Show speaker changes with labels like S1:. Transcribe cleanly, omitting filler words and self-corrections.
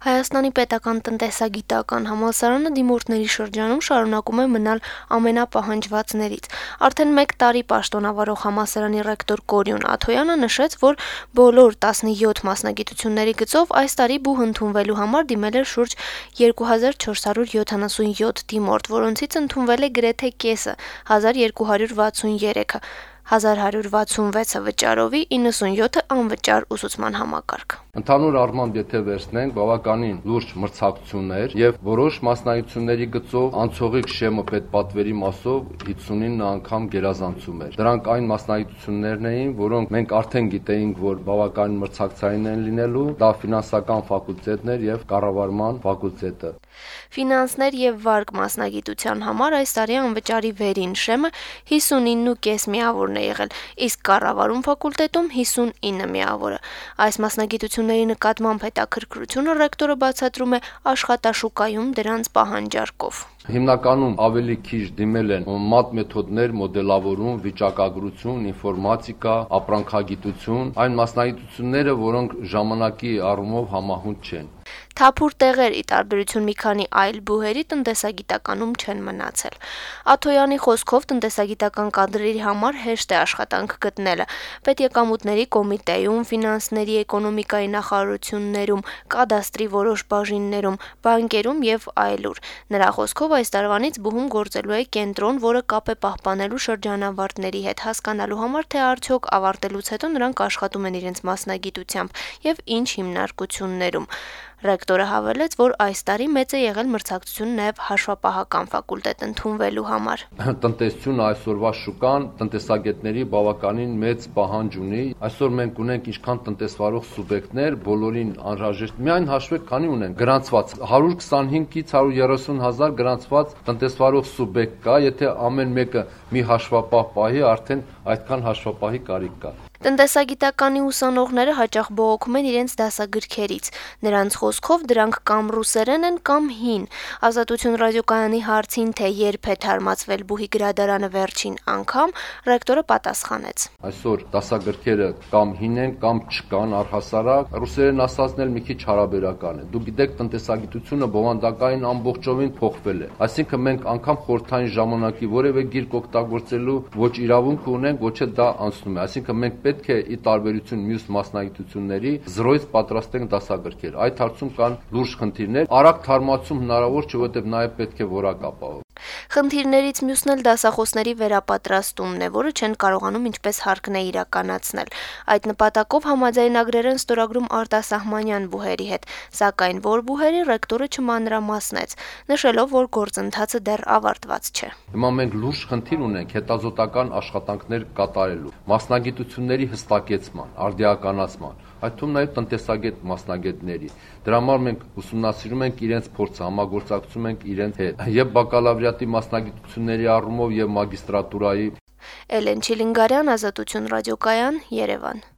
S1: Հայաստանի պետական տնտեսագիտական համալսարանը դիմորդների շրջանում շարունակում է մնալ ամենապահանջվածներից։ Արդեն 1 տարի պաշտոնավարող համալսարանի ռեկտոր Կորյուն Աթոյանը նշեց, որ բոլոր 17 մասնագիտությունների գծով այս տարի բուհ ընդունվելու համար դիմել էր շուրջ 2477 դիմորդ, որոնցից ընդունվել է գրեթե կեսը՝ 1263-ը, 1166-ը վճարովի, 97-ը անվճար ուսուցման համակարգ։
S2: Ընդհանուր առմամբ, եթե վերցնենք, բավականին լուրջ մրցակցություններ եւ որոշ մասնագիտությունների գծով անցողիկ շեմը պետպատվերի մասով 59 անգամ գերազանցում էր։ Դրանք այն մասնագիտություններն էին, որոնք մենք արդեն գիտեինք, որ բավականին մրցակցային են լինելու, դա ֆինանսական ֆակուլտետն էր եւ կառավարման ֆակուլտետը։
S1: Ֆինանսներ եւ վարկ մասնագիտության համար այս տարի անվճարի վերին շեմը 59.5 միավորն է եղել, իսկ կառավարում ֆակուլտետում 59 միավորը։ Այս մասնագիտությունների նկատմամբ հետաքրքրությունը ռեկտորը բացատրում է աշխատաշուկայում դրանց պահանջարկով։
S2: Հիմնականում ավելի քիչ դիմել են մաթ-մեթոդներ, մոդելավորում, վիճակագրություն, ինֆորմատիկա, ապրանքագիտություն, այն մասնագիտությունները, որոնք ժամանակի առումով համահունչ չեն։
S1: Թափուր տեղեր, ի տարբերություն մի քանի այլ բուհերի, տնտեսագիտականում չեն մնացել։ Աթոյանի խոսքով տնտեսագիտական կադրերի համար հեշտ է աշխատանք գտնելը։ Պետեկամուտների կոմիտեում, ֆինանսների էկոնոմիկայի նախարարություններում, կադաստրի որոշ բաժիններում, բանկերում եւ այլուր։ Նրա խոսքով այս տարվանից բուհում գործելու է կենտրոն, որը կապ է պահպանելու շրջանավարտների հետ, հասկանալու համար, թե արդյոք ավարտելուց հետո նրանք աշխատում են իրենց մասնագիտությամբ եւ ինչ հիմնարկություններում։ Ռեկտորը հավելեց, որ այս տարի մեծ է եղել մրցակցություն նաև հաշվապահական ֆակուլտետ ընդունվելու համար։
S2: Տնտեսությունը այսօրվա շուկան տնտեսագետների բավականին մեծ պահանջ ունի։ Այսօր մենք ունենք ինչքան տնտեսվարող սուբյեկտներ, բոլորին անհրաժեշտ։ Միայն հաշվեք, քանի ունենք գրանցված 125-ից 130 հազար գրանցված տնտեսվարող սուբյեկտ կա, եթե ամեն մեկը մի հաշվապահ պահի, արդեն այդքան հաշվապահի կարիք կա։
S1: Տնտեսագիտականի ուսանողները հաճախ բողոքում են իրենց դասագրքերից։ Նրանց խոսքով դրանք կամ ռուսերեն են, կամ հին։ Ազատություն ռադիոկայանի հարցին, թե երբ է թարմացվել բուհի գրադարանը վերջին անգամ, ռեկտորը պատասխանեց.
S2: Այսօր դասագրքերը կամ հին են, կամ չկան առհասարակ։ Ռուսերեն ասածն էլ մի քիչ հարաբերական է։ Դուք գիտեք, տնտեսագիտությունը բովանդակային ամբողջովին փոխվել է։ Այսինքն մենք անգամ խորհրդային ժամանակի որևէ գիրք օգտագործելու ոչ իրավունք ունենք, ոչ էլ դա անցնում է։ Այսինքն մենք պետք է ի տարբերություն մյուս մասնագիտությունների զրոյից պատրաստենք դասագրքեր։ Այդ հարցում կան լուրջ խնդիրներ։ Արագ թարմացում հնարավոր չէ, որովհետև նաև պետք է որակ ապահով։
S1: Խնդիրներից մյուսն էլ դասախոսների վերապատրաստումն է, որը չեն կարողանում ինչպես հարկն է իրականացնել։ Այդ նպատակով համաձայնագրեր են ստորագրում արտասահմանյան բուհերի հետ, սակայն որ բուհերի ռեկտորը չմանրամասնեց, նշելով, որ գործընթացը դեռ ավարտված չէ։
S2: Հիմա մենք լուրջ խնդիր ունենք հետազոտական աշխատանքներ կատարելու, մասնագիտությունների հստակեցման, արդիականացման, այդ թվում նաև տնտեսագետ մասնագետների։ Դրա համար մենք ուսումնասիրում ենք իրենց փորձը, համագործակցում ենք իրենց հետ, եւ բակալավրիատի մասնագիտությունների առումով եւ մագիստրատուրայի։
S1: Էլեն Չիլինգարյան, Ազատություն ռադիոկայան, Երևան։